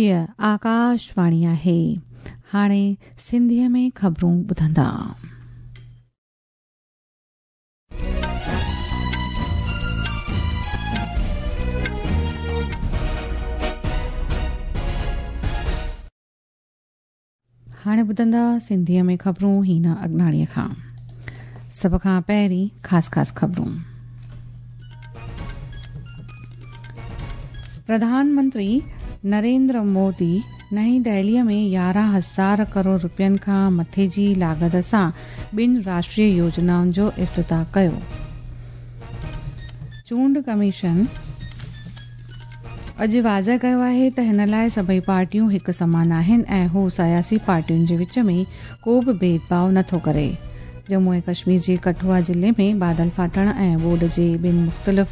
هيء آڪاشواڻي آهي. هاڻي سنڌيء ۾ خبرون ٻڌندا. هاڻي ٻڌندا سنڌيء ۾ خبرون هينا اگناڻيء کان. سڀ کان پهرين خاص خاص خبرون. پرڌان منتري نريندر مودي نئين دهليء ۾ 11,000 ڪروڙ رپين کان مٿي جي لاڳت سان ٻن راشٽريه يوجنائن جو افتتاح ڪيو. چونڊ ڪميشن اڄ واضح ڪيو آهي ته هن لاء سڀئي پارٽيون هڪ سمان آهن ۽ هو سياسي پارٽين جي وچ ۾ ڪو به ڀيد ڀاء نٿو ڪري. ڄمون ۽ ڪشمير جي ڪٺوا ضلعي ۾ بادل ڦاٽڻ ۽ ٻوڏ جي ٻن مختلف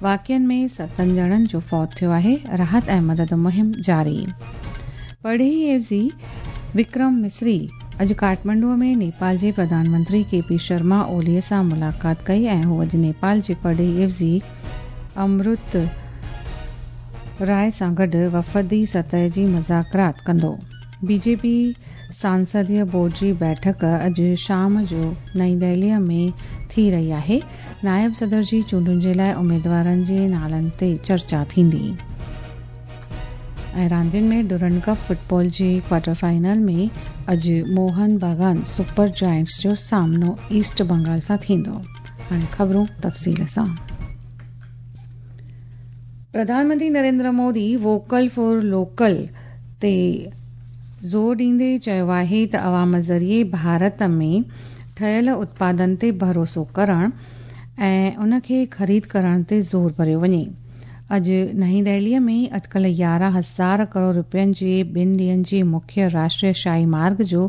واقعن ۾ ستن ڄڻن جو فوت ٿيو آهي، راحت ۽ مدد مهم جاري. پرڏيهي عيوضي وڪرم مصري اڄ ڪاٺمنڊو ۾ نيپال جي پرڌان منتري ڪي پي شرما اولي سان ملاقات ڪئي ۽ هو اڄ نيپال جي پرڏيهي عيوضي امرت راء سان گڏ وفدي سطح جي مذاڪرات ڪندو. بي جي پي سانسديه بورڊ جي بيٺڪ اڄ شام جو نئين دهليء ۾ ٿي رهي آهي. نائب صدر جي چونڊن جي لاء اميدوارن جي نالن تي چرچا ٿيندي. ۽ راندين ۾ ڊورنڊ ڪپ فٽبال جي ڪوارٽر فائنل ۾ اڄ موهن باگان سپر جائنٽس جو سامنو ايسٽ بنگال سان ٿيندو. هاڻي خبرون تفصيل سان. Pradhan Mantri Narendra Modi vocal for local تي زور ڏيندي چيو آهي ته عوام ذريعي ڀارت ۾ ٺهيل اتپادن تي ڀروسو ڪرڻ ۽ ان کي خريد ڪرڻ تي زور ڀريو وڃي. اڄ نئين دهليء ۾ اٽڪل 11,000 ڪروڙ رپين جي ٻن ڏينهن جي مکيه راشٽريه شاهي مارگ جو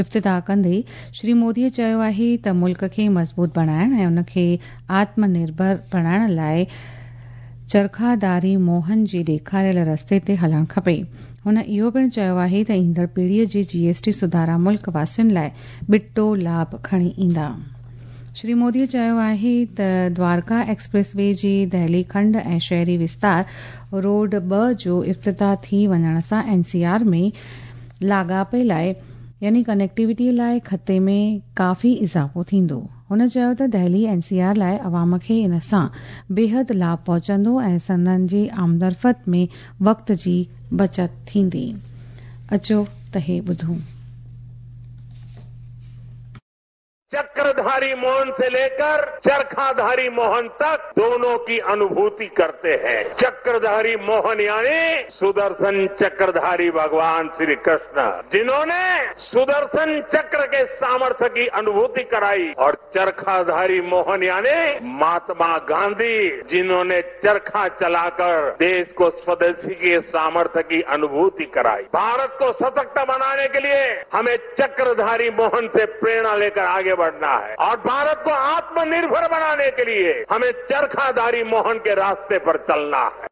افتتاح ڪندي شري موديء چيو آهي ته ملڪ کي مضبوط بڻائڻ ۽ ان کي آتم نرڀر بڻائڻ لاء چرخاداري موهن جي ڏيکاريل رستي تي هلڻ کپي. هن اهو پڻ چيو آهي ته ايندڙ پيڙهيء جي جي ايس ٽي سڌارا ملڪ واسين لاء ٻٽو لاڀ کڻي ايندا. شري مودي چيو آهي ته دوارڪا ايڪسپريس وي جي دهلي کنڊ ۽ شهري وستار روڊ ٻه جو افتتاح ٿي وڃڻ سان اين سي آر ۾ لاڳاپي لاء يعني ڪنيڪٽيوٽي لاء خطي ۾ ڪافي اضافو ٿيندو. هن چيو ته دهلي اين سي آر لاء عوام کي ان سان بيحد لاڀ پهچندو ۽ سندن جي آمدرفت ۾ وقت جي بچت ٿيندي. اچو ته هي ٻڌون. चक्रधारी मोहन से लेकर चरखाधारी मोहन तक दोनों की अनुभूति करते हैं। चक्रधारी मोहन यानी सुदर्शन चक्रधारी भगवान श्री कृष्ण, जिन्होंने सुदर्शन चक्र के सामर्थ्य की अनुभूति कराई, और चरखाधारी मोहन यानी महात्मा गांधी, जिन्होंने चरखा चलाकर देश को स्वदेशी के सामर्थ्य की अनुभूति कराई। भारत को सशक्त बनाने के लिए हमें चक्रधारी मोहन से प्रेरणा लेकर आगे बढ़ना है और भारत को आत्मनिर्भर बनाने के लिए हमें चरखाधारी मोहन के रास्ते पर चलना है।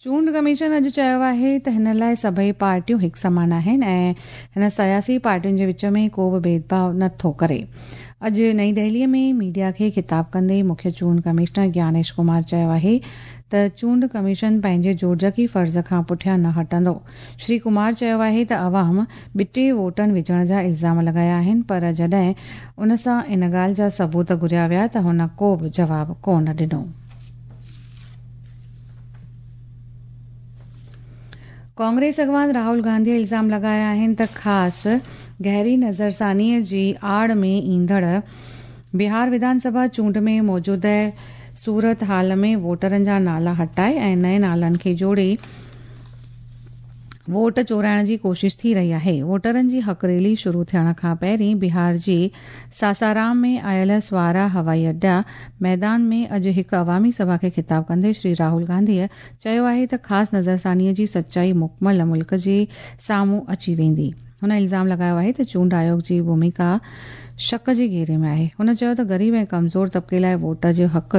چونڊ ڪميشن اڄ چيو آهي ته هن لاء سڀئي پارٽيون هڪ سمان آهن ۽ هن سياسي پارٽين جي وچ ۾ ڪو به ڀيد ڀاء نه ٿو ڪري. اڄ نئين دهلي ۾ ميڊيا کي خطاب ڪندي مکيه چونڊ ڪمشنر گيانيش ڪمار چيو آهي ته چونڊ ڪميشن پنهنجي جوڙجڪي فرض کان پٺيان نه هٽندو. شري ڪمار چيو آهي ته عوام ٻٽي ووٽن وجهڻ جا الزام لڳايا آهن پر جڏهن ان سان ان ڳالهه جا ثبوت گهريا ويا ته هن ڪو به جواب ڪونه ڏنو. ڪانگريس اڳواڻ راهول گانڌي الزام لڳايا آهن ته خاص گهري نظرثاني جي آڙ ۾ ايندڙ بهار وڌان سڀا چونڊ ۾ موجوده صورت حال ۾ ووٽرن جا نالا هٽائي ۽ نئين نالن کي جوڙي ووٽ چورائڻ جي ڪوشش ٿي رهي آهي. ووٽرن جي حق ريلي شروع ٿيڻ کان پهرين بهار جي ساسارام ۾ آيل سوارا هوائي اڏا ميدان ۾ اڄ هڪ عوامي سڀا کي خطاب ڪندي شري راهول گانڌيء چيو آهي ته خاص نظرثانيء جي سچائي مڪمل ملڪ جي سامهون اچي ويندي. هن الزام لڳايو آهي ته چونڊ آيوگ جي ڀوميڪا شڪ جي گهيري ۾ آهي. هن چيو ته غريب ۽ ڪمزور طبقي لاء ووٽ جو حق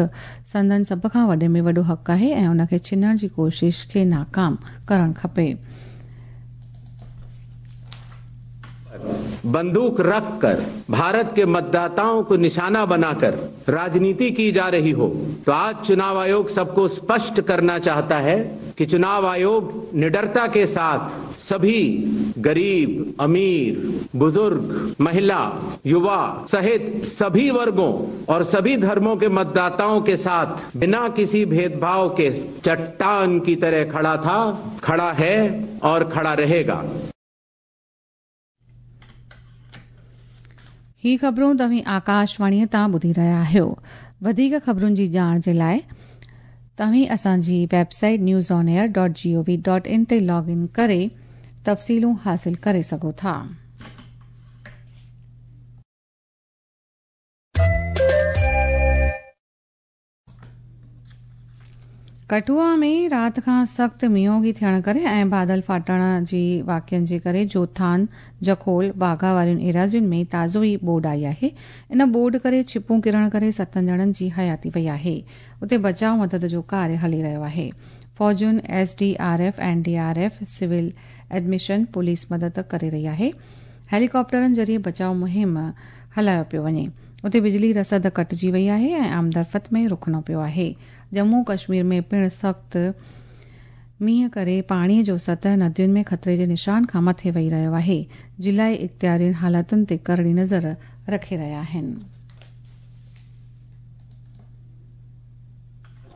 سندن سڀ کان وڏي ۾ وڏو حق آهي ۽ ان کي ڇنڻ جي ڪوشش کي ناڪام ڪرڻ کپي. बंदूक रखकर भारत के मतदाताओं को निशाना बनाकर राजनीति की जा रही हो, तो आज चुनाव आयोग सबको स्पष्ट करना चाहता है कि चुनाव आयोग निडरता के साथ सभी गरीब, अमीर, बुजुर्ग, महिला, युवा सहित सभी वर्गों और सभी धर्मों के मतदाताओं के साथ बिना किसी भेदभाव के चट्टान की तरह खड़ा था, खड़ा है और खड़ा रहेगा। ही ख़बरूं तव्हीं आकाशवाणीअ तां ॿुधी रहिया आहियो। वधीक ख़बरुनि जी ॼाण जे लाइ तव्हीं असांजी वेबसाइट newsonair.gov.in ते लॉग इन करे तफ़सीलूं हासिल करे सघो था। कठुआ में राति खां सख़्तु मींहोगी थियण करे ऐं बादल फाटण जी वाक़िअनि जे करे जोथान, जखोल, बाघा वारियुनि एराज़ियुनि में ताज़ो ई ॿोॾ आई आहे। इन ॿोॾ करे छिपूं किरण करे 7 ॼणनि जी हयाती वई आहे। उते बचाव मदद जो कार्य हली रहियो आहे। फ़ौजुनि SDRF, NDRF, civil admission, police मदद करे रही आहे। हेलीकॉप्टरनि ज़रिए बचाव मुहिम हलायो पियो वञे। उते बिजली रसद कटिजी वई आहे ऐं आमदरफ़त में रुकणो पियो आहे। जम्मू कश्मीर में पिणु सख़्तु मींहुं करे पाणीअ जो सतह नदियुनि में ख़तरे जे निशान खां मथे वही रहियो आहे। ज़िलाई इख़्तियारियुनि हालातुनि ते करड़ी नज़र रखे रहिया आहिनि।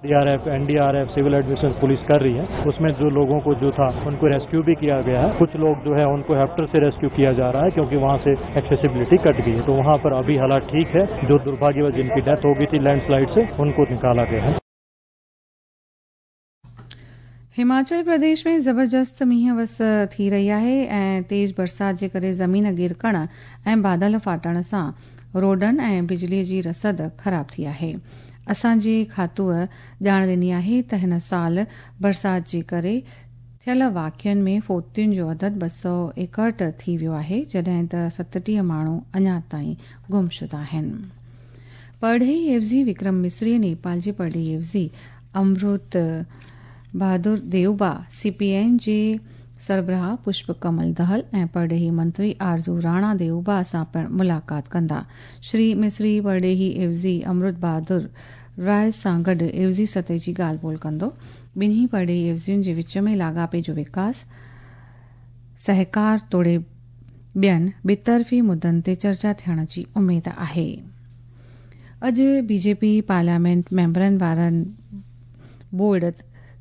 DRF, NDRF, civil administration, police कर रही है। उसमें जो लोगों को जो था उनको रेस्क्यू भी किया गया है। कुछ लोग जो है उनको हेलीकॉप्टर से रेस्क्यू किया जा रहा है क्योंकि वहां से एक्सेसिबिलिटी कट गई है। तो वहां पर अभी हालात ठीक है। जो दुर्भाग्यवश जिनकी डेथ हो गई थी लैंडस्लाइड से उनको निकाला गया है। हिमाचल प्रदेश में ज़बरदस्त मींहुं वस थी रही आहे ऐं तेज़ बरसात जे करे ज़मीन गिरकण ऐं बादल फाटण सां रोडनि ऐं बिजलीअ जी रसद ख़राब थी आहे। असांजे खातूअ ॼाण ॾिनी आहे त हिन साल बरसात जे करे थियल वाक़िअनि में फ़ोतियुनि जो अदद 261 थी वियो आहे, जॾहिं त 37 माण्हू अञा ताईं गुमशुदा आहिनि। परॾेही एवज़ी विक्रम मिस्री नेपाल जे परॾेही एवज़ी अमृत बहादुर देवबा, CPN जे सरबराह पुष्प कमल दहल ऐं परॾेही मंत्री आरज़ू राणा देवबा सां पिणु मुलाक़ात कंदा। श्री मिस्री परॾेही एवज़ी अमृत बहादुर राय सां गॾु एवज़ी सतह जी ॻाल्हि ॿोल कंदो। ॿिन्ही परॾेही एवज़ियुनि जे विच में लाॻापे जो विकास, सहकार तोड़े ॿियनि ॿितरफ़ी मुद्दनि ते चर्चा थियण जी उमेद आहे। अॼु बीजेपी पार्लियामेंट मेंबरनि वारनि बोर्ड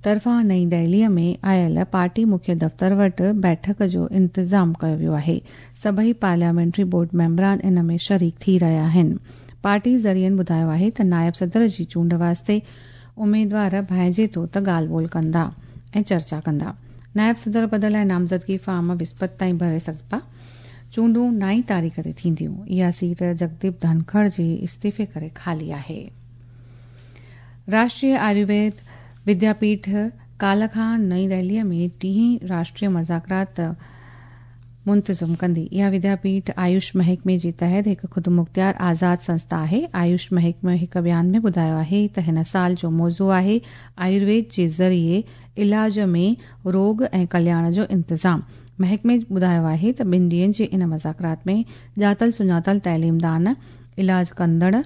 तरफ़ां नई दिल्लीअ में आयल पार्टी मुख्य दफ़्तर वटि बैठक जो इंतज़ाम कयो वियो आहे। सभई पार्लियामेंट्री बोर्ड मेंबरान इन में शरीक थी रहिया आहिनि। पार्टी ज़रियनि ॿुधायो आहे त नायब सदर जी चूंड वास्ते उमेदवार भांइजे थो त ॻाल्हि ॿोल कंदा ऐं चर्चा कंदा। नायब सदर पद लाइ नामज़दगी फॉर्म विस्पति ताईं भरे सघिबा। चूंडूं 9 तारीख़ ते थींदियूं। इहा सीट जगदीप धनखड़ जे इस्तीफ़े करे ख़ाली आहे। राष्ट्रीय आयुर्वेद विद्यापीठ काल्ह खां नई दिल्लीअ में टीं राष्ट्रीय मज़ाकरात मुंतज़िम कंदी। इहा विद्यापीठ आयुष महकमे जे तहत हिकु ख़ुदमुख़्तियार आज़ाद संस्था आहे। आयुष महकमे हिकु बयान में ॿुधायो आहे त हिन साल जो मौज़ू आहे आयुर्वेद जे ज़रिए इलाज में रोग ऐं कल्याण जो इंतज़ाम। महकमे ॿुधायो आहे त ॿिनि ॾींहंनि जे इन मज़ाकरात में ॼातल सुञातल तइलीमदान, इलाज कंदड़,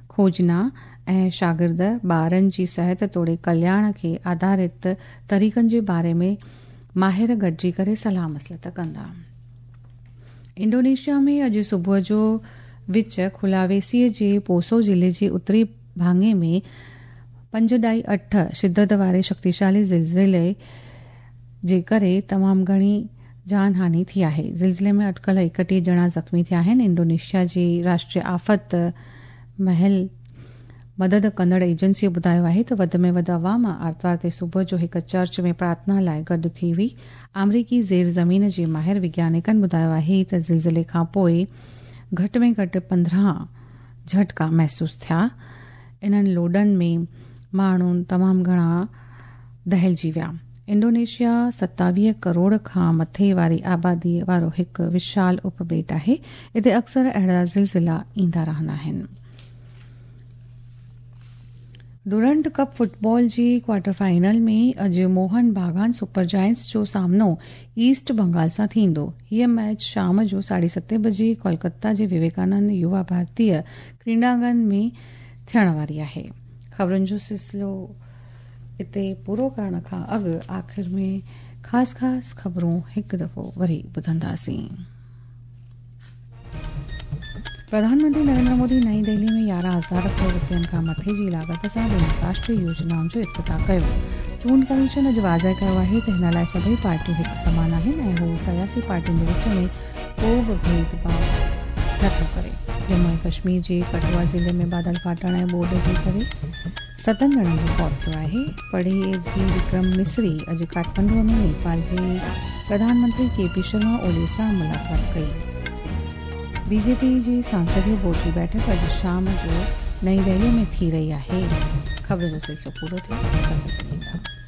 खोजना ऐं शागिर्द ॿारनि जी सिहत तोड़े कल्याण खे आधारित तरीक़नि जे बारे में माहिर गॾिजी करे सलाह मसलत कंदा। इंडोनेशिया में अॼु सुबुह जो विच खुलावेसीअ जे पोसो ज़िले जे उत्तरी भाङे में 5.8 शिदत वारे शक्तिशाली ज़िलज़िले जे करे तमामु घणी जानहानि थी आहे। ज़िलज़िले में अटकल 31 ॼणा ज़ख़्मी थिया आहिनि। इंडोनेशिया जी राष्ट्रीय आफ़त महिल मदद कंदड़ एजेंसीअ ॿुधायो आहे त वधि में वधि अवाम आरतवार ते सुबुह जो हिकु चर्च में प्रार्थना लाइ गॾु थी हुई। आमरीकी ज़ेर ज़मीन जे माहिर वैज्ञानिकनि ॿुधायो आहे त ज़िलज़िले खां पोइ घटि में घटि 15 झटका महसूसु थिया। इन्हनि लोॾनि में माण्हू तमामु घणा दहिलजी विया। इंडोनेशिया 27 करोड़ खां मथे वारी आबादी वारो हिकु विशाल उपॿेट आहे। हिते अक्सर अहिड़ा ज़िलज़िला ईंदा रहंदा आहिनि। ڊورنڊ ڪپ فٽبال جي ڪوارٽر فائنل ۾ اڄ موهن باگان سپر جائنٽس جو سامنو ايسٽ بنگال سان ٿيندو. هيء ميچ شام جو ساڍي ستين بجي ڪولڪتا جي وويڪانند يووا ڀارتي ڪريڙانگن ۾ ٿيڻ واري آهي. خبرن جو سلسلو اتي پورو ڪرڻ کان اڳ آخر ۾ خاص خاص خبرون هڪ دفعو وري ٻڌنداسين. پرڌان منتري نريندر مودي نئين دهلي ۾ 11,000 ڪروڙ رپين کان مٿي جي لاڳت سان ٻن راشٽري يوجنائن جو افتتاح ڪيو. چونڊ ڪميشن اڄ واضح ڪيو آهي ته هن لاء سڀئي پارٽيون هڪ سمان آهن ۽ هو سياسي پارٽين جي وچ ۾ ڪو به ڀيد ڀاء نٿو ڪري. ڄمون ۽ ڪشمير جي ڪٺوا ضلعي ۾ بادل ڦاٽڻ ۽ ٻوڏ جي ڪري ستن ڄڻن جو فوت ٿيو آهي. پرڏيهي عيوضي وڪرم مصري اڄ ڪاٺمنڊو ۾ نيپال جي پرڌان منتري ڪي پي شرما اولي سان ملاقات ڪئي. بي جي پي جي سانسدي بورڊ جي بيٺڪ اڄ شام جو نئين دهلي ۾ ٿي رهي آهي. خبرن جو سلسلو پورو ٿيو. اسان سان گڏ رهندا.